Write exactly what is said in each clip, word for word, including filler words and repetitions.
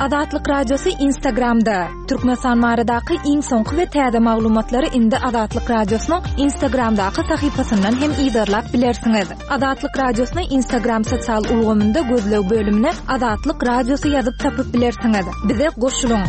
Azatlyk Radiosy Instagramda. Türkmenistan baradaky iň soňky we täze maglumatlary indi Azatlyk Radiosynyň Instagramdaky sahypasyndan hem yzarlap bilersiňiz. Azatlyk Radiosyny Instagram sosial ulgamynda gözleg bölümine Azatlyk Radiosy ýazyp tapyp bilersiňiz. Bize goşulyň.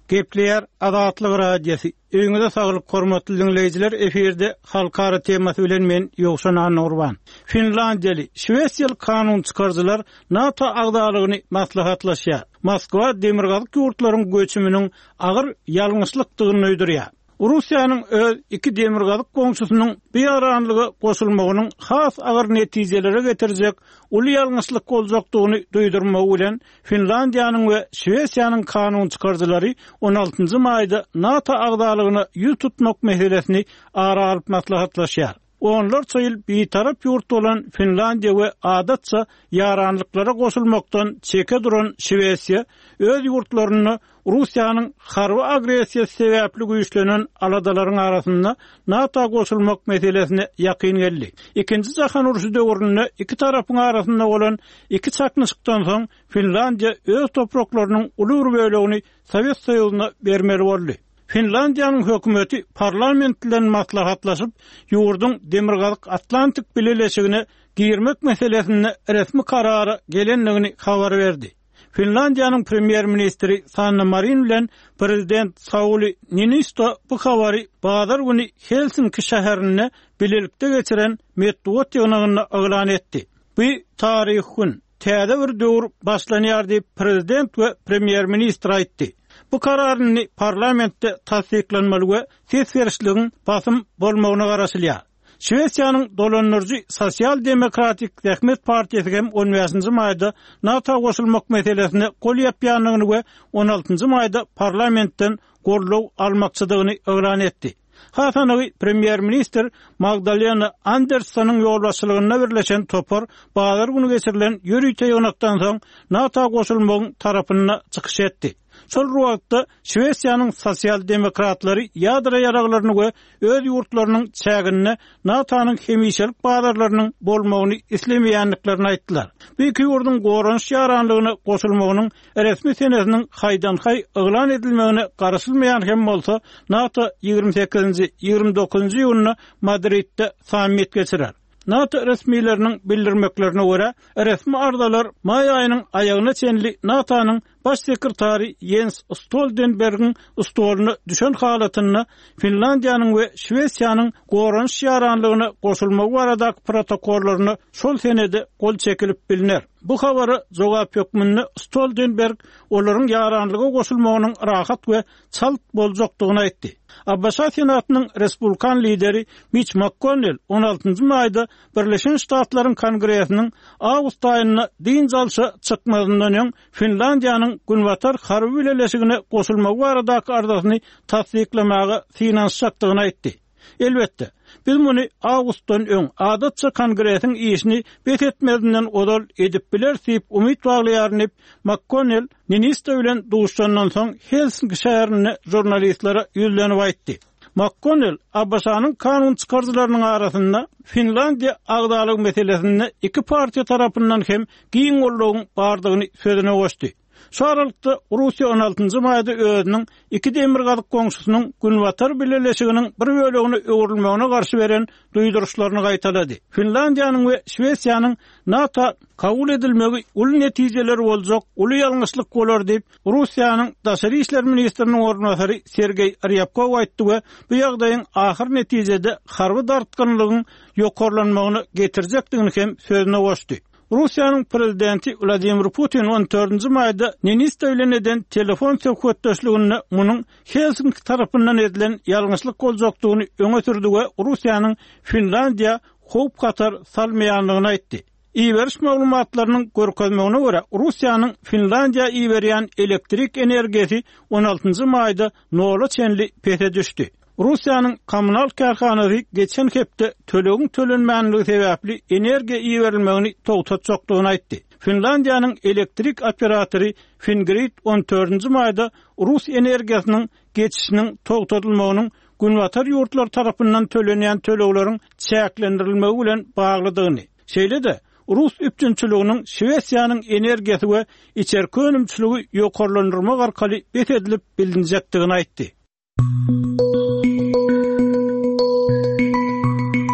Gepleýär Azatlyk Radiosy. Öýüňize saglyk hormatly dinleýjiler, efirde halkara temasy bilen men Ýowşan Annagurban. Finlandiýaly, Şwesiýaly kanun çykaryjylar NATO agzalygyny maslahatlaşýar. Moskwa demirgazyk ýurtlaryň göçüminiň agyr ýalňyşlykdygyny duýdurýar. Russiýanyň öz iki demirgazyk goňşusynyň bu ýaranlyga goşulmagynyň has agyr netijelere getirjek uly ýalňyşlyk boljakdygyny duýdurmagy bilen Finlandiýanyň we Şwesiýanyň kanun çykaryjylary on altynjy maýda NATO agzalygyna ýüz tutmak meselesini ara alyp maslahatlaşýar. Onlarça ýyl bitarap ýurt bolan Finlandiýa we adatça ýaranlyklara goşulmakdan çeke duran Şwesiýa öz ýurtlarynda Russiýanyň harby agressiýasy sebäpli güýçlenen aladalaryň arasynda NATO goşulmak meselesine ýakyn geldi. Ikinji jahan urşy döwründe iki tarapyň arasynda bolan iki çaknyşykdan soň Finlandiýa öz topraklarynyň uly bir bölegini Sowet Soýuzyna bermeli boldy. Finlandiýanyň hökümeti parlament bilen maslahatlaşyp, ýurduň Demirgazyk Atlantik bileleşigine girmek meselesinde resmi karara gelendigini habar berdi. Finlandiýanyň premýer-ministri Sanna Marin bilen prezident Sauli Niinisto bu habary bazar güni Helsinki şäherinde bilelikde geçiren metbugat ýygnagynda yglan etdi. Bu taryhy gün, täze bir döwür başlanýar diýip prezident we premýer-ministr aýtdy. Bu kararyny parlamentde tassyklanmaly we ses berişligiň basym bolmagyna garaşylýar. Şwesiýanyň dolandyryjy Sosial Demokratik Zähmet Partiýasy hem on bäşinji maýda NATO goşulmak meselesine gol ýapýandygyny we on altynjy maýda parlamentden goldaw almakçydygyny yglan etdi. Hasanagy premýer-ministr Magdalena Anderssonyň ýolbaşçylygynda birleşen topar bazar güni geçirilen ýörite ýygnakdan soň NATO goşulmagyň tarapynda çykyş etdi. Şol wagtda Şwesiýanyň sosial demokratlary ýadro ýaraglaryny we öz ýurtlarynyň çäginde NATO-nyň hemişelik bazarlarynyň bolmagyny islemeýändiklerini aýtdylar. Bu iki ýurduň goranyş ýaranlygyna goşulmagynyň resmi senesiniň haýdan-haý yglan edilmegine garaşylmaýan hem bolsa, NATO ýigrimi sekizinji, ýigrimi dokuzynjy iýunda Madridde sammit geçirer. NATO resmileriniň bildirmeklerine görä, resmi arzalar maý aýynyň aýagyna çenli NATO-nyň baş sekretary Jens Stoltenbergiň stoluna düşen halatynda Finlandiýanyň we Şwesiýanyň goranyş ýaranlygyna goşulmagy baradaky protokollaryna şol senede gol çekilip biliner. Bu habara jogap hökmünde Stoltenberg olaryň ýaranlyga goşulmagynyň rahat we çalt boljakdygyny aýtdy. A B Ş Senatynyň Respublikan lideri Mitch McConnell on altynjy maýda Birleşen Ştatlaryň Kongresiniň awgust aýynda dynç alşa çykmazyndan öň Finlandiýanyň Günbatar harby bileleşigine goşulmagy baradaky arzasyny tassyklamaga synanyşjakdygyny aýtdy. Elbetde, biz muny awgustdan öň adatça Kongresiň işini bes etmezinden ozal edip bileris diýip umyt baglaýaryn diýip McConnell Niinisto bilen duşandan soň Helsinki şäherinde žurnalistlere ýüzlenip aýtdy. McConnell A B Ş-nyň kanun çykaryjylarynyň arasynda Finlandiýa agzalyk meselesinde iki partiýa tarapyndan hem giň goldawyň bardygyny sözüne goşdy. Şu aralykda Russiýa on altynjy maýda özüniň iki demirgazyk goňşusynyň Günbatar bileleşiginiň bir bölegine öwrülmegine garşy beren duýduryşlaryny gaýtalady. Finlandiýanyň we Şwesiýanyň NATO kabul edilmegi uly netijeler boljak uly ýalňyşlyk bolar diýip Russiýanyň Daşary işler ministriniň orunbasary Sergeý Rýabkow aýtdy we bu ýagdaýyň ahyr netijede harby dartgynlygyň ýokarlanmagyna getirjekdigini hem sözüne goşdy. Russiýanyň prezidenti Wladimir Putin on dördünji maýda Niinisto bilen eden telefon söhbetdeşliginde munuň Helsinki tarapyndan edilen ýalňyşlyk boljakdygyny öňe sürdi we Russiýanyň Finlandiýa howp hatar salmaýandygyny aýtdy. Iberiş maglumatlarynyň görkezmegine görä, Russiýanyň Finlandiýa iberýän elektrik energiýasy on altynjy maýda nola çenli pese düşdi. Russiýanyň kommunal kärhanasy geçen hepde tölegiň tölenmänligi sebäpli energiýa iberilmegini togtatjakdygyny aýtdy. Finlandiýanyň elektrik operatory Fingrid on dördünji maýda Rus energiýasynyň geçişiniň togtatylmagynyň Günbatar ýurtlar tarapyndan tölenýän tölegleriň çäklendirilmegi bilen baglydygyny, Şeýle-de Rus üpjünçiliginiň Şwesiýanyň energiýasy we içerki önümçiligi ýokarlandyrmak arkaly bes edilip bilinjekdigini aýtdy.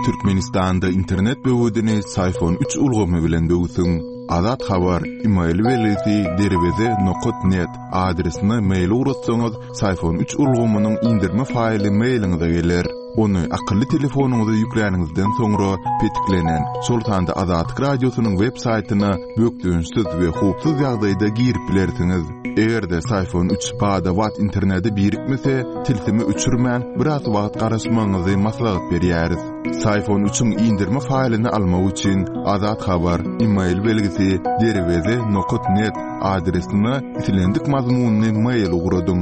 Türkmenistanda internet böwedini Syfon üç ulgamy bilen böwsüň. Azat Habar, email belgisi derweze nokat net adresine mail ugratsaňyz, Syfon üç ulgamynyň indirme faýly mailiňize geler. Ony akylly telefonyňyza ýükläniňizden soňra petiklenen, şol sanda Azatlyk Radiosynyň web saýtyna bökdençsiz we howpsuz ýagdaýda girip bilersiňiz. Eger-de Syfon üç bada-bat internete birikmese, tilsimi öçürmän biraz wagt garaşmagyňyzy maslahat berýäris. Syfon üçiň indirme faýlyny almak üçin Azat Habar, email belgisi derweze nokat net adresine islendik mazmunyny mail ugradyň.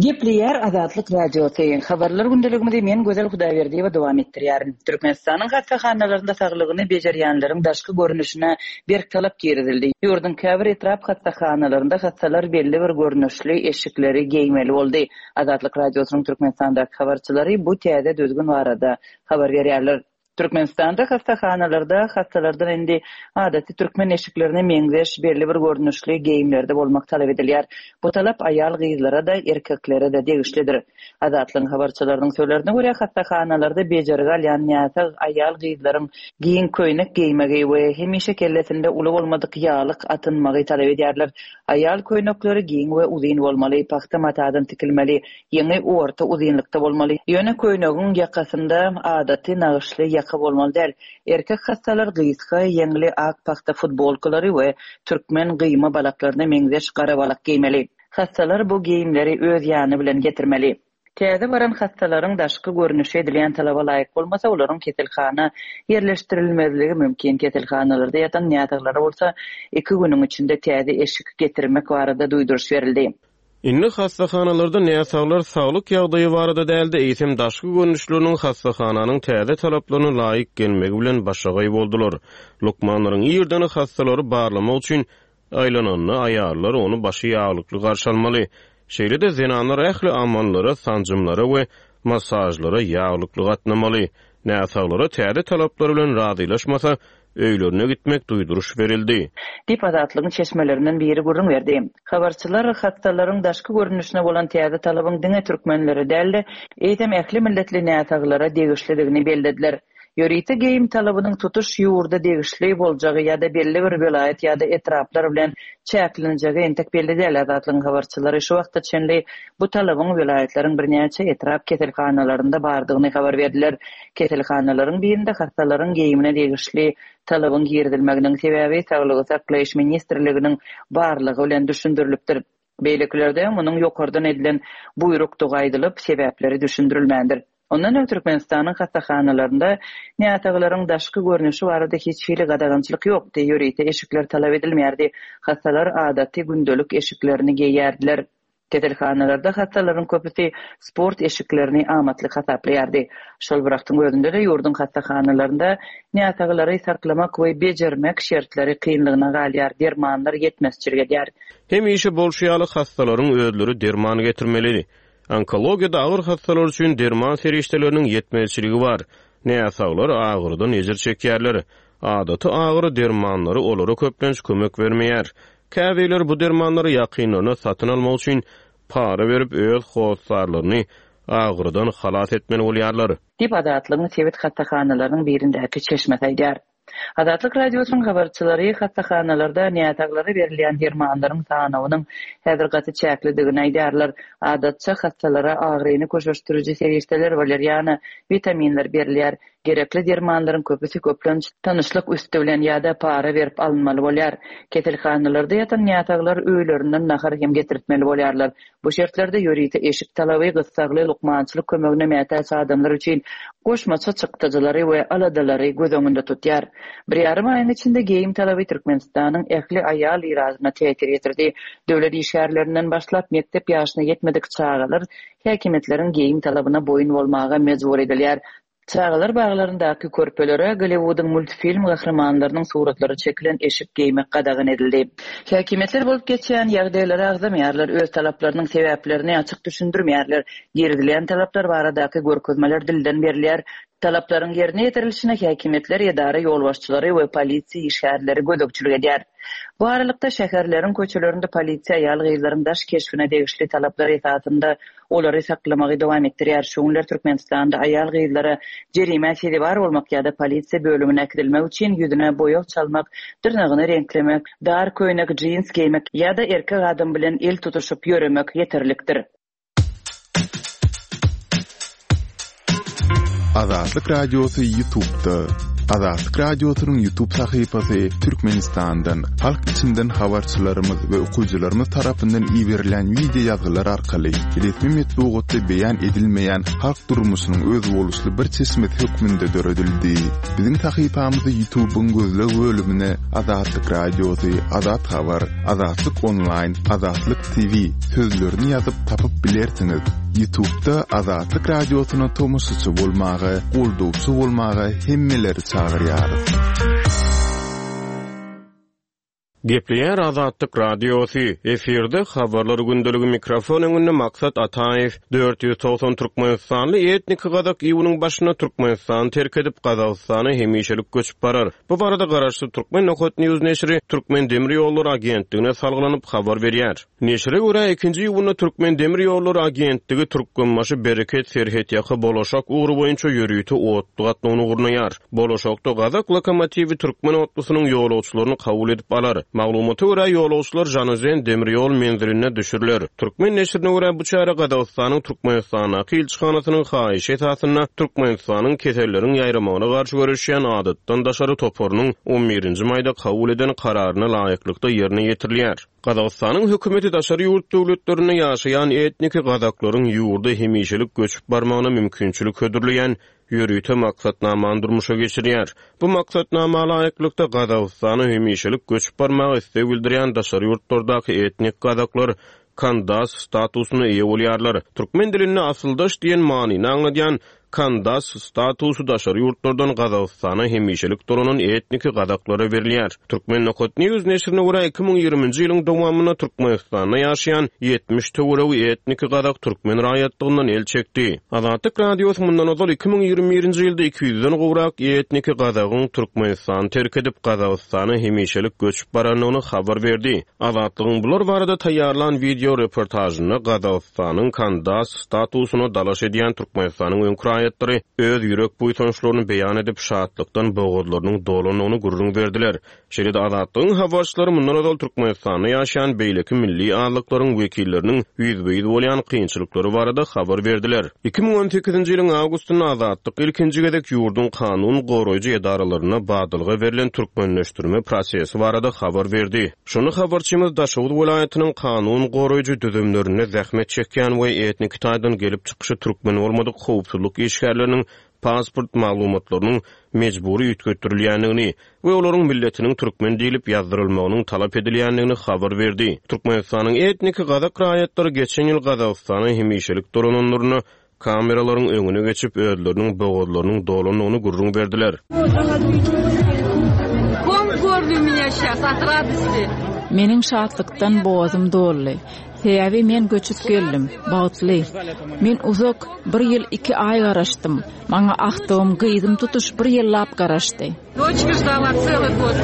Gepleýär Azatlyk Radiosy. Habarlar gündeligimizi men Gözel Hudaýberdiýewa dowam etdirýärin. Türkmenistanyň hassahanalarynda saglygyny bejerýänleriň daşky görnüşine berk talap girizildi. Ýurduň käbir etrap hassahanalarynda hassalar belli bir görnüşli eşikleri geýmeli boldy. Azatlyk Radiosynyň Türkmenistandaky habarçylary bu täze düzgün barada habar berýärler. Türkmenistanda hassahanalarda hassalardan indi adaty türkmen eşiklerine meňzeş belli bir görnüşli geýimlerde bolmak talap edilýär. Bu talap aýal gyzlara da erkeklere de degişlidir. Azatlygyň habarçylarynyň sözlerine görä hassahanalarda bejergi alýan näsag aýal gyzlaryň giň köýnek geýmegi we hemişe kellesinde uly bolmadyk ýalyk atynmagy talap edýärler. Aýal köýnekleri giň we uzyn bolmaly, pagta matadan tikilmeli, ýeňi orta uzynlykda bolmaly. Ýöne köýnegiň ýakasynda adaty nagyşly ýaka bolmaly däl. Erkek hassalar gysga, ýeňli ak pagta futbolkalary we türkmen gyýma balaklaryna meňzeş gara balak geýmeli. Hassalar bu geýimleri öz ýany bilen getirmeli. Täze baran hassalaryň daşky görnüşi edilýän talaba laýyk bolmasa, olaryň keselhana ýerleşdirilmezligi mümkin. Keselhanalarda ýatan näsaglara bolsa iki günüň içinde täze eşik getirmek barada duýduryş berildi. Indi hassahanalarda näsaglar saglyk ýagdaýy barada däldi, eýsem daşky görnüşleriniň hassahananyň täze talaplaryna laýyk gelmegi bilen başagaý boldular. Lukmanlaryň ýerden hassalary barlamak üçin aýlananda aýallar ony başy ýaglykly garşy almaly. Şeýle-de zenanlar ähli amallara, sanjymlara we massajlara ýaglykly gatnamaly. Näsaglara täze talaplar bilen razylaşmasa, öýlerine gitmek duýduryş berildi. Diýip Azatlygyň çeşmelerinden biri gürrüň berdi. Habarçylar hassalaryň daşky görnüşine bolan täze talabyň diňe türkmenlere däl-de, eýsem ähli milletli näsaglara degişlidigini bellediler. Ýörite geýim talabynyň tutuş ýurda degişli boljagy ýa-da belli bir welaýat ýa-da etraplar bilen çäklenjegi entek belli däl. Azatlygyň habarçylary şu wagta çenli bu talabyň welaýatlaryň birnäçe etrap keselhanalarynda bardygyny habar berdiler. Keselhanalaryň birinde hassalaryň geýimine degişli talabyň girizilmeginiň sebäbi Saglygy saklaýyş ministrliginiň barlygy bilen düşündirilipdir. Beýlekilerde munuň ýokardan edilen buýrukdygy aýdylyp, sebäpleri düşündirilmändir. Ondan öň Türkmenistanyň hassahanalarynda näsaglaryň daşky görnüşi barada hiç hili gadagançylyk ýokdy, ýörite eşikler talap edilmeýärdi. Hassalar adaty gündelik eşiklerini geýerdiler. Keselhanalarda hassalaryň köpüsi sport eşiklerini amatly hasaplaýardy. Şol bir wagtyň özünde de ýurduň hassahanalarynda näsaglary saklamak we bejermek şertleri kynlygyna galýar, dermanlar ýetmezçilik edýär. Hemişe bolşy ýaly hassalaryň özleri derman getirmeli. Onkologiýada agyr hassalar üçin derman serişdeleriniň ýetmezçiligi bar. Näsaglar agyrydan ejir çekýärler. Adaty agyry dermanlary olara köplenç kömek bermeýär. Käbirleri bu dermanlary ýakynlaryna satyn almak üçin para berip öz hossarlaryny agyrydan halas etmeli bolýarlar. Diýip Azatlygyň sebit hassahanalarynyň birindäki çeşmesi aýdýar. Azatlyk Radiosynyň habarçylary hassahanalarda näsaglara berilýän dermanlaryň sanawynyň häzir gaty çäklidigini aýdýarlar. Adatça hassalara agyryny köşeşdiriji serişdeler waleriana, witaminler berilýär. Gerekli dermanlaryň köpüsi köplenç tanyşlyk üsti bilen ýa-da para berip alynmaly bolýar. Keselhanalarda ýatan näsaglar öýlerinden nahar hem getirtmeli bolýarlar. Bu şertlerde ýörite eşik talaby gyssagly lukmançylyk kömegine mätäç adamlar üçin goşmaça çykdajylary we aladalary göz öňünde tutýar. Bir ýarym aýyň içinde geýim talaby Türkmenistanyň ähli aýal iradyna täsir ýetirdi. Döwlet işgärlerinden başlap mekdep ýaşyna ýetmedik çagalar häkimiýetleriň geýim talabyna boýun bolmaga mejbur edilýär. Çagalar baglaryndaky körpelere Golliwudyň multfilm gahrymanlarynyň suratlary çekilen eşik geýmek gadagan edildi. Häkimiýetler bolup geçýän ýagdaýlary agzamaýarlar, öz talaplarynyň sebäplerini açyk düşündirmeýärler. Girizilýän talaplar baradaky görkezmeler dilden berilýär. Talaplaryň ýerine ýetirilişine häkimiýetler, edara ýolbaşçylary we polisiýa işgärleri gözegçilik edýär. Bu aralykda şäherleriň köçelerinde polisiýa aýal-gyzlaryň daş keşbine degişli talaplar esasynda olary saklamagy dowam etdirýär. Şu günler Türkmenistanda aýal-gyzlara jerimä sezewar bolmak ýa-da polisiýa bölümine äkidilmek üçin ýüzüne boýag çalmak, dyrnagyny reňklemek, dar köýnek, jins geýmek ýa-da erkek adam bilen el tutuşyp ýöremek ýeterlikdir. Azatlyk Radiosy YouTube'da. Azatlyk Radiosynyň YouTube sahypasy Türkmenistandan, halk içinden habarçylarymyz we okyjylarymyz tarapyndan iberilen wideo ýazgylar arkaly resmi metbugatda beýan edilmeýän halk durmuşynyň özboluşly bir çeşmesi hökmünde döredildi. Biziň sahypamyzy YouTube'yň gözleg bölümine Azatlyk Radiosy, Azat Habar, Azatlyk Online, Azatlyk T V sözlerini ýazyp tapyp bilersiňiz. YouTube'da Azatlyk Radiosyna tomaşaçy bolmaga, goldawçy bolmaga hemmeleri çagyrýarys. Gepleýär Azatlyk Radiosy. Efirde habarlar gündeligi mikrofon öňünde Maksat Ataýew. Dört ýüz togsan Türkmenistanly etnik gazak iýunyň başyna Türkmenistany terk edip Gazagystana hemişelik göçüp barar. Bu barada garaşsyz Türkmen Nokat News neşiri Türkmen Demir Ýollary Agentligine salgylanyp habar berýär. Neşire görä ikinji iýunda Türkmen Demir Ýollary Agentligi Türkmenbaşy Bereket Serhetýaka Bolaşak ugry boýunça ýörite otly gatnawyny gurnaýar. Bolaşakda gazak lokomotiwi türkmen otlusynyň ýolagçylaryny kabul edip alar. Maglumata görä ýolagçylar Janozen demir ýol menziline düşürler. Türkmen neşirine görä bu çäre Gazagystanyň Türkmenistandaky ilçihanasynyň haýyşy esasynda Türkmenistanyň keselleriň ýaýramagyna garşy göreşýän adatdan daşary toparynyň on birinji maýda kabul eden kararyna laýyklykda ýerine ýetirilýär. Gazagystanyň hökümeti daşary ýurt döwletlerinde ýaşaýan etniki gazaklaryň ýurda hemişelik göçüp barmagyna mümkinçilik hödürleýän ýörite maksatnamany durmuşa geçirýär. Bu maksatnama laýyklykda Gazagystana hemişelik göçüp barmagy isleg bildirýän daşary ýurtlardaky etnik gazaklar kandas statusyna eýe bolýarlar. Türkmen dilinde asyldaş diýen manyny aňladýan kandas statusy daşary ýurtlardan Gazagystana hemişelik dolanan etniki gazaklara berilýär. Türkmen Nokat News neşirine görä iki müň ýigriminji ýylyň dowamynda Türkmenistanda ýaşaýan ýetmiş töweregi etniki gazak türkmen raýatlygyndan el çekdi. Azatlyk Radiosy mundan ozal iki müň ýigrimi birinji ýylda iki ýüzden gowrak etniki gazagyň Türkmenistany terk edip Gazagystana hemişelik göçüp barandygyny habar berdi. Azatlygyň bular barada taýýarlan video reportajynda Gazagystanyň kandas statusyna dalaş edýän Türkmenistanyň öňki raýatlary öz ýürek buýsançlaryny beýan edip şatlykdan bogazlarynyň dolandygyny gürrüň berdiler. Şeýle-de Azatlygyň habarçylary mundan ozal Türkmenistanda ýaşaýan beýleki milli azlyklaryň wekilleriniň ýüzbe-ýüz bolýan kynçylyklary barada habar berdiler. Iki müň on sekizinji ýylyň awgustynda Azatlyk ilkinji gezek ýurduň kanun goraýjy edaralaryna badalga berlen türkmenleşdirme prosesi barada habar berdi. Şony habarçymyz Daşoguz welaýatynyň kanun goraýjy düzümlerinde zähmet çekýän we etnik taýdan gelip çykyşy türkmen bolmadyk howpsuzlyk işgärleriniň pasport maglumatlarynyň mejbury üýtgetdirilýändigini we olaryň milletiniň türkmen diýlip ýazdyrylmagynyň talap edilýändigini habar berdi. Türkmenistanyň etnik gazak raýatlary geçen ýyl Gazagystana hemişelik dolananlaryna kameralaryň öňüne geçip özleriniň bogazlarynyň dolandygyny gürrüň berdiler. Kom gordu меня сейчас от радости. Meniň şatlykdan boğazym doldy. Sebäbi men göçüp geldim, bagtly. Men uzak bir ýyl iki aý garaşdym. Maňa ahdym, gyzym tutuş bir ýyllap garaşdy. Дочка ждала целый год.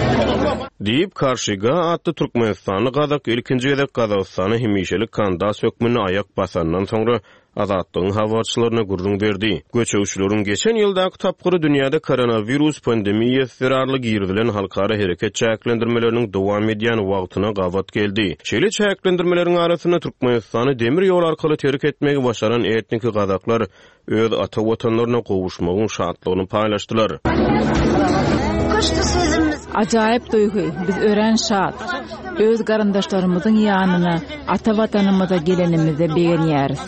Diýip Karşyga atly Türkmenistanly gazak ilkinji gezek Gazagystana hemişelik kandas hökmünde aýak basandan soňra Azatlygyň habarçylaryna gürrüň berdi. Göçegçileriň geçen ýyldaky tapgyry dünýäde koronawirus pandemiýasy zerarly girizilen halkara hereket çäklendirmeleriniň dowam edýän wagtyna gabat geldi. Şeýle çäklendirmeleriň arasynda Türkmenistany demir ýol arkaly terk etmegi başaran etniki gazaklar öz ata watanlaryna gowuşmagyň şatlygyny paýlaşdylar. Ajaýyp duýgy, biz örän şat. Öz garyndaşlarymyzyň ýanyna, ata watanymyza gelenimize begenýäris.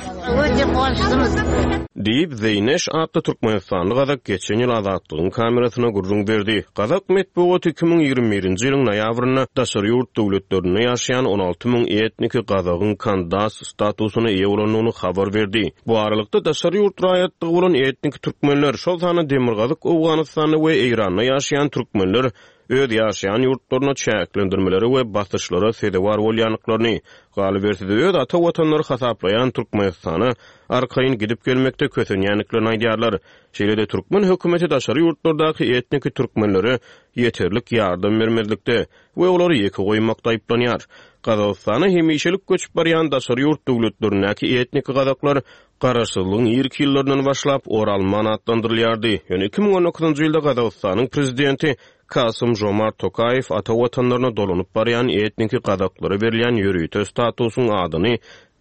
Diýip, Zeýneş atly türkmenistanly gazak geçen ýyl Azatlygyň kamerasyna gürrüň berdi. Gazak metbugaty iki müň ýigrimi birinji ýylyň noýabrynda daşary ýurt döwletlerinde ýaşaýan on alty müň etniki gazagyň kandas statusyna eýe bolandygyny habar berdi. Bu aralykda daşary ýurt raýatlygy bolan etniki türkmenler, şol sanda Demirgazyk Owganystanda we Eýranda ýaşaýan türkmenler öz ýaşaýan ýurtlaryna çäklendirmelere we basyşlara sezewar bolýandyklaryny, galyberse-de öz ata watanlary hasaplaýan Türkmenistana arkaýyn gidip gelmekde kösenýändiklerini aýdýarlar. Şeýle-de türkmen hökümeti daşary ýurtlardaky etniki türkmenlere ýeterlik ýardam bermezlikde we olary ýeke goýmakda aýyplanýar. Gazagystana hemişelik göçüp barýan daşary ýurt döwletlerindäki etniki gazaklar garaşsyzlygyň irki ýyllaryndan başlap Oralman atlandyrylýardy. Ýöne iki müň on dokuzynjy ýylda Gazagystanyň prezidenti Kasym Jomart Tokaýew ata watanlaryna dolanyp barýan etniki gazaklara berilýän ýörite statusyň adyny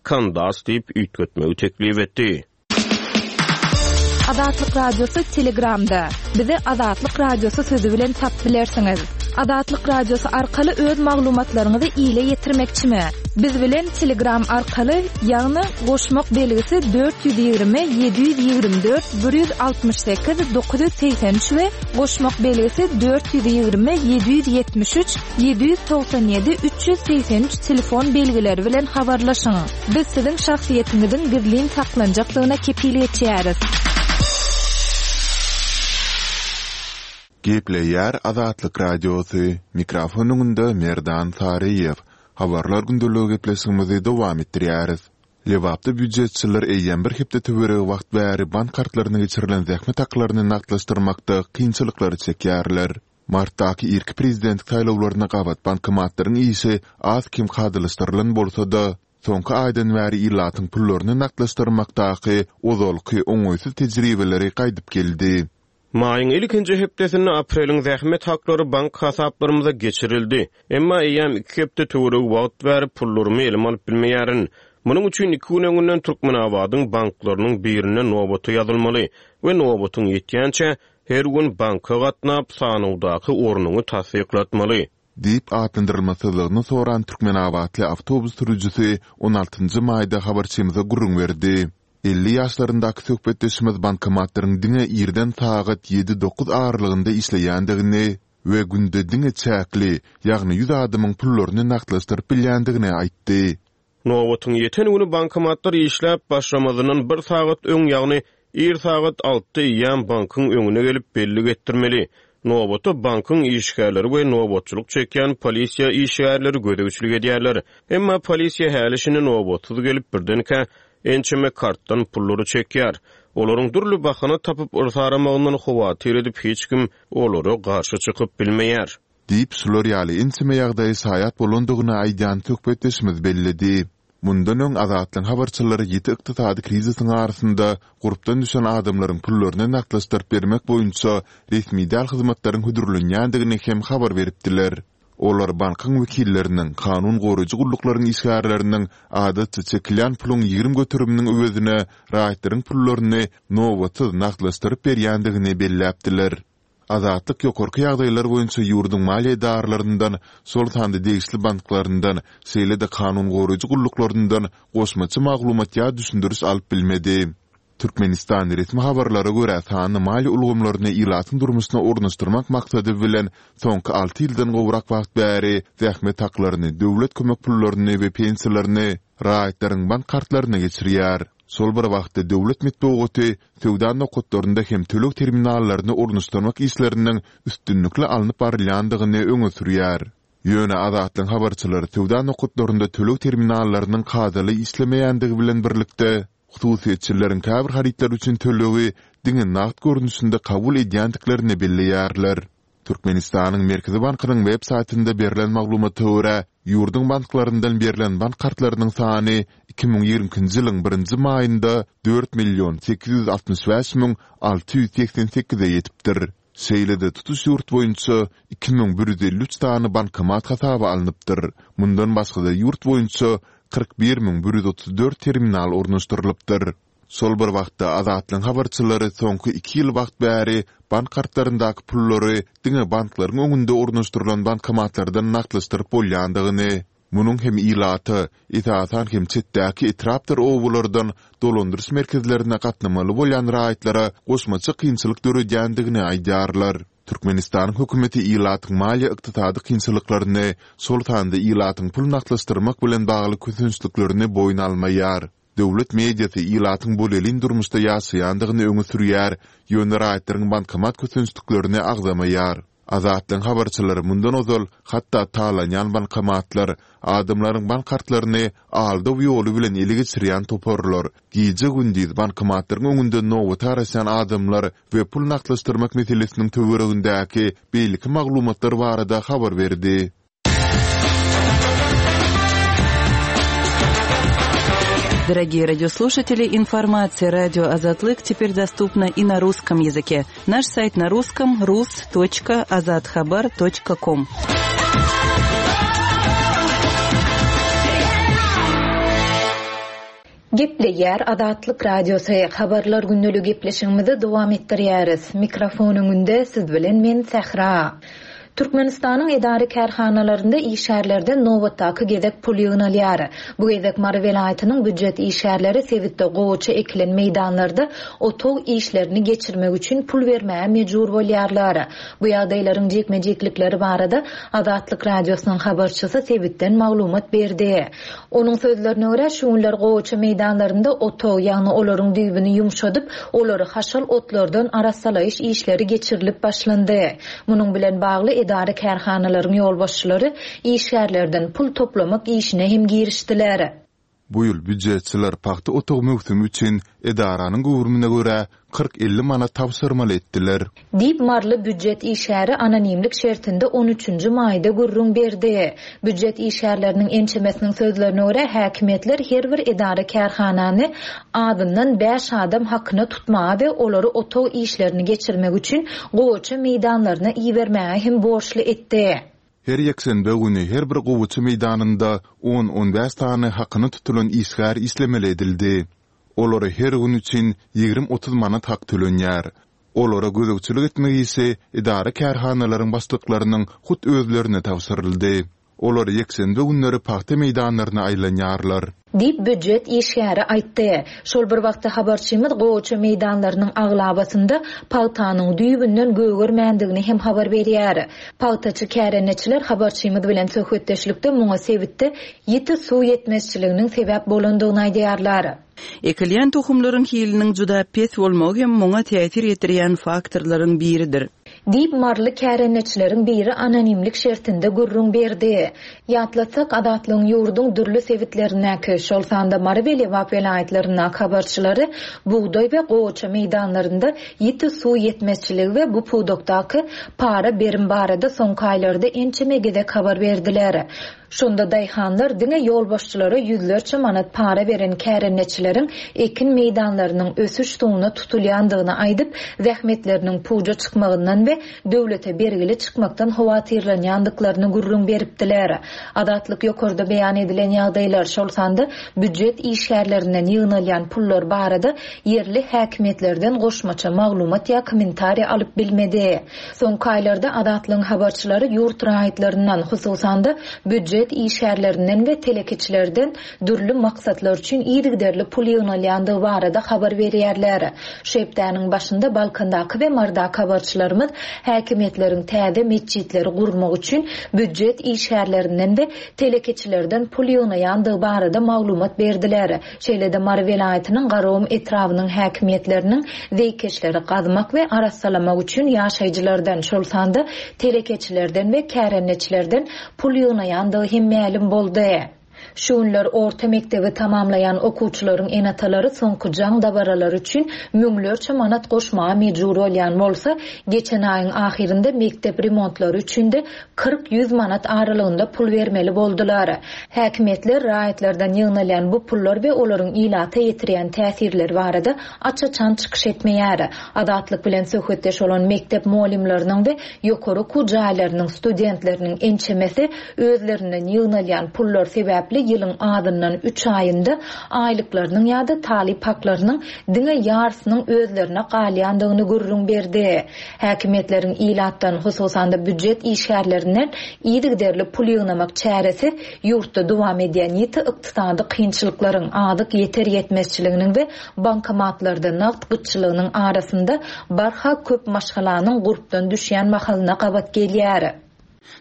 Kandas diýip üýtgetmegi teklip etdi. Azatlyk Radiosy Telegramda. Bizi Azatlyk Radiosy sözü bilen tap bilersiňiz. Azatlyk Radiosy arkaly öz maglumatlaryňyzy ile ýetirmekçimi? Biz bilen Telegram arkaly, ýagny goşmak belgisi dört ýüz ýigrimi, ýedi ýüz ýigrimi dört, bir ýüz altmyş sekiz, dokuz ýüz segsen üç we goşmak belgisi dört ýüz ýigrimi, ýedi ýüz ýetmiş üç, ýedi ýüz togsan ýedi, üç ýüz segsen üç telefon belgileri bilen habarlaşyň. Biz siziň şahsyýetiňiziň gizlin saklanjakdygyna kepil geçýäris. Gepleýär Azatlyk Radiosy. Mikrofon öňünde Merdan Saryýew. Habarlar gündeligi gepleşigimizi dowam etdirýäris. Lebapda býujetçiler eýýäm bir hepde töweregi wagt bäri bank kartlaryna geçirilen zähmet haklaryny nagtlaşdyrmakda kynçylyklary çekýärler. Martdaky irki prezident saýlawlaryna gabat bankomatlaryň işi az kem kadalaşdyrylan bolsa-da, soňky aýdan bäri ilatyň pullaryny nagtlaşdyrmakdaky ozalky oňaýsyz tejribeleri gaýdyp geldi. Maýyň ilkinji hepdesinde apreliň zähmet haklary bank hasaplarymyza geçirildi. Emma eýýäm iki hepde töweregi wagt bäri pullarymy elime alyp bilmeýärin. Munuň üçin iki gün öňünden Türkmenabadyň banklarynyň birinde nobata ýazylmaly we nobatyň ýetýänçä her gün banka gatnap sanawdaky ornuňy tassyklatmaly. Diýip atlandyrylmasyzlygyny soran Türkmenabatly awtobus sürüjisi on altynjy maýda habarçymyza gürrüň berdi. Elli ýaşlaryndaky söhbetdeşimiz bankomatlaryň diňe irden sagat ýedi dokuz aralygynda işleýändigini we günde diňe çäkli, ýagny ýüz adamyň pullaryny nagtlaşdyryp bilýändigini aýtdy. Nobatyň ýeten güni bankomatlar işläp başlamazyndan bir sagat öň, ýagny ir sagat altda eýýäm bankyň öňüne gelip bellik etdirmeli. Nobata bankyň işgärleri we nobatçylyk çekýän polisiýa işgärleri gözegçilik edýärler. Emma polisiýa häli şindi nobatsyz gelip birdenkä ençeme kartdan pullary çekýär. Olaryň dürli bahana tapyp yrsaramagyndan howatyr edip hiç kim olara garşy çykyp bilmeýär. Diýip şular ýaly ençeme ýagdaýy şaýat bolandygyny aýdýan söhbetdeşimiz belledi. Mundan öň Azatlygyň habarçylary ýiti ykdysady krizisiň arasynda gurpdan düşen adamlaryň pullaryny nagtlaşdyryp bermek boýunça resmi däl hyzmatlaryň hödürlenýändigini hem habar beripdiler. Olar bankyň wekilleriniň, kanun goraýjy gulluklaryň işgärleriniň adatça çekilýän puluň ýigrimi göteriminiň öwezine raýatlaryň pullaryny nobatsyz nagtlaşdyryp berýändigini belläpdiler. Azatlyk ýokarky ýagdaýlar boýunça ýurduň maliýe edarlaryndan, şol sanda degişli banklaryndan, şeýle-de kanun goraýjy gulluklaryndan goşmaça maglumat ýa düşündiriş alyp bilmedi. Türkmenistan resmi habarlara görä sanly maliýe ulgamlaryny ilatyň durmuşyna ornaşdyrmak maksady bilen soňky alty ýyldan gowrak wagt bäri zähmet haklaryny, döwlet kömek pullaryny we pensiýalaryny raýatlaryň bank kartlaryna geçirýär. Şol bir wagtda döwlet metbugaty söwda nokatlarynda hem töleg terminallaryny ornaşdyrmak işleriniň üstünlikli alnyp barylýandygyny öňe sürýär. Ýöne Azatlygyň habarçylary söwda nokatlarynda töleg terminallarynyň kadaly işlemeýändigi bilen birlikde hususyýetçileriň käbir harytlar üçin tölegi diňe nagt görnüşinde kabul edýändiklerini belleýärler. Türkmenistanyň Merkezi bankynyň web saýtynda berlen maglumata görä, ýurduň banklaryndan berlen bank kartlarynyň sany iki müň ýigrimi ikinji ýylyň birinji maýynda dört million sekiz ýüz altmyş bäş müň alty ýüz segsen sekize ýetipdir. Şeýle-de tutuş ýurt boýunça iki müň bir ýüz elli üç sany bankomat hasaba alnypdyr. Mundan başga-da ýurt boýunça kyrk bir müň bir ýüz otuz dört terminal ornaşdyrylypdyr. Şol bir wagtda Azatlygyň habarçylary soňky iki ýyl wagt bäri bank kartlaryndaky pullary diňe banklaryň öňünde ornaşdyrylan bankomatlardan nagtlaşdyryp bolýandygyny, munuň hem ilata, esasan hem çetdäki etrapdyr obalardan dolandyryş merkezlerine gatnamaly bolýan raýatlara goşmaça kynçylyk döredýändigini aýdýarlar. Türkmenistanyň hökümeti ilatyň maliýe-ykdysady kynçylyklaryny, şol sanda ilatyň pul nagtlaşdyrmak bilen bagly kösençliklerini boýun almaýar. Döwlet mediasy ilatyň bolelin durmuşda ýaşaýandygyny öňe sürýär, ýöne raýatlaryň bankomat kösençliklerini agzamaýar. Azatlygyň habarçylary mundan ozal hatda talanýan bankomatlar, adamlaryň bank kartlaryny aldaw ýoly bilen ele geçirýän toparlar, gije-gündiz bankomatlaryň öňünde nobata garaşýan adamlar we pul nagtlaşdyrmak meselesiniň töweregindäki beýleki maglumatlar barada habar berdi. Дорогие радиослушатели, информация радио Азатлык теперь доступна и на русском языке. Наш сайт на русском rus.azathabar.com. Gepleýär Azatlyk Radiosy habarlar günlügi gepleşigimizi dowam etdirýäris. Mikrofon öňünde siz bilen men Sähra. Türkmenistanyň edara kärhanalarynda işgärlerden nobatdaky gezek pul ýygnalýar. Bu gezek Mary welaýatynyň býujet işgärleri sebitde gowaça ekilen meýdanlarda otag işlerini geçirmek üçin pul bermäge mejbur bolýarlar. Bu ýagdaýlaryň jikme-jiklikleri barada Azatlyk Radiosynyň habarçysy sebitden maglumat berdi. Onuň sözlerine görä, şu günler gowaça meýdanlarynda otag, ýagny olaryň düýbüni ýumşadyp, olary haşal otlardan arassalaýyş işleri geçirilip başlandy. Munuň bilen bagly edara kärhanalaryň ýolbaşçylary işgärlerden pul toplamak işine hem girişdiler. Bu ýyl býujetçiler pagta otag möwsümi üçin edaranyň göwrümine görä kyrk-elli manat tabşyrmaly etdiler. Diýip Maryly býujet işgäri anonimlik şertinde on üçünji maýda gürrüň berdi. Býujet işgärleriniň ençemesiniň sözlerine görä häkimiýetler her bir edara kärhanany azyndan bäş adam hakyna tutmaga we olary otag işlerini geçirmek üçin gowaça meýdanlaryna ibermäge hem borçly etdi. Her ýekşenbe güni her bir gowaça meýdanynda on-on bäş sany hakyna tutulan işgär işlemeli edildi. Olara her gün üçin ýigrimi-otuz manat hak tölenýär. Olara gözegçilik etmek işi edara kärhanalaryň başlyklarynyň hut özlerine tabşyryldy. Olar ýekşenbe günleri pagta meýdanlaryna aýlanýarlar. Diýip býujet işgäri aýtdy. Şol bir wagtda habarçymyz gowaça meýdanlarynyň aglabasynda pagtanyň düýbünden gögermändigini hem habar berýär. Pagtaçy kärendeçiler habarçymyz bilen söhbetdeşlikde muňa sebitde ýiti suw ýetmezçiliginiň sebäp bolandygyny aýdýarlar. Ekilýän tohumlaryň hiliniň juda pes bolmagy hem muňa täsir ýetirýän faktorlaryň biridir. Diýip Maryly kärendeçileriň biri anonimlik şertinde gürrüň berdi. Ýatlatsak, Azatlygyň ýurduň dürli sebitlerindäki, şol sanda Mary we Lebap welaýatlaryndaky habarçylary bugdaý we gowaça meýdanlarynda ýiti suw ýetmezçiligi we bu pudakdaky para berim barada soňky aýlarda ençeme gezek habar berdiler. Şonda daýhanlar diňe ýolbaşçylara ýüzlerçe manat para beren kärendeçileriň ekin meýdanlarynyň ösüş suwuna tutulýandygyny aýdyp, zähmetleriniň puja çykmagyndan we döwlete bergili çykmakdan howatyrlanýandyklaryny gürrüň beripdiler. Azatlyk ýokarda beýan edilen ýagdaýlar, şol sanda býujet işgärlerinden ýygnalýan pullar barada ýerli häkimiýetlerden goşmaça maglumat ýa kommentariýa alyp bilmedi. Soňky aýlarda Azatlygyň habarçylary ýurt raýatlaryndan, hususan-da býujet işgärlerinden we telekeçilerden dürli maksatlar üçin yzygiderli pul ýygnalýandygy barada habar berýärler. Şu hepdäniň başynda Balkandaky we Mardaky habarçylarymyz häkimiýetleriň täze metjitleri gurmak üçin býujet işgärlerinden we telekeçilerden pul ýygnaýandygy barada maglumat berdiler. Şeýle-de Mary welaýatynyň Garagum etrabynyň häkimiýetleriniň zeýkeşleri gazmak we arassalamak üçin ýaşaýjylardan, şol sanda telekeçilerden we kärendeçilerden pul ýygnaýandygy hem mälim boldy. Şu günler orta mekdebi tamamlaýan okuwçylaryň enatalary soňky jaň dabaralary üçin müňlerçe manat goşmaga mejbur bolýan bolsa, geçen aýyň ahyrynda mekdep remontlary üçin de kyrk ýüz manat aralygynda pul bermeli boldular. Häkimiýetler raýatlardan ýygnalýan bu pullar we olaryň ilata ýetirýän täsirleri barada aç-açan çykyş etmeýär. Azatlyk bilen söhbetdeş bolan mekdep muallimleriniň we ýokary okuw jaýlarynyň studentleriniň ençemesi özlerinden ýygnalýan pullar sebäpli sebäpli ýylyň azyndan üç aýynda aýlyklarynyň ýa-da talyp haklarynyň diňe ýarysynyň özlerine galýandygyny gürrüň berdi. Häkimiýetleriň ilatdan, hususan-da býujet işgärlerinden yzygiderli pul ýygnamak çäresi ýurtda dowam edýän ýiti ykdysady kynçylyklaryň, azyk ýeter-ýetmezçiliginiň we bankomatlarda nagt gytçylygynyň arasynda barha köp maşgalanyň gurpdan düşýän mahalyna gabat gelýär.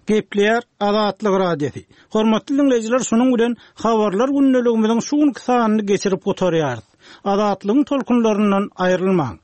Gepleýär Azatlyk Radiosy. Hormatly dinleýjiler, şunuň bilen habarlar gündeligimiziň şu günki sanyny geçirip gutarýarys. Azatlygyň tolkunlaryndan aýrylmaň.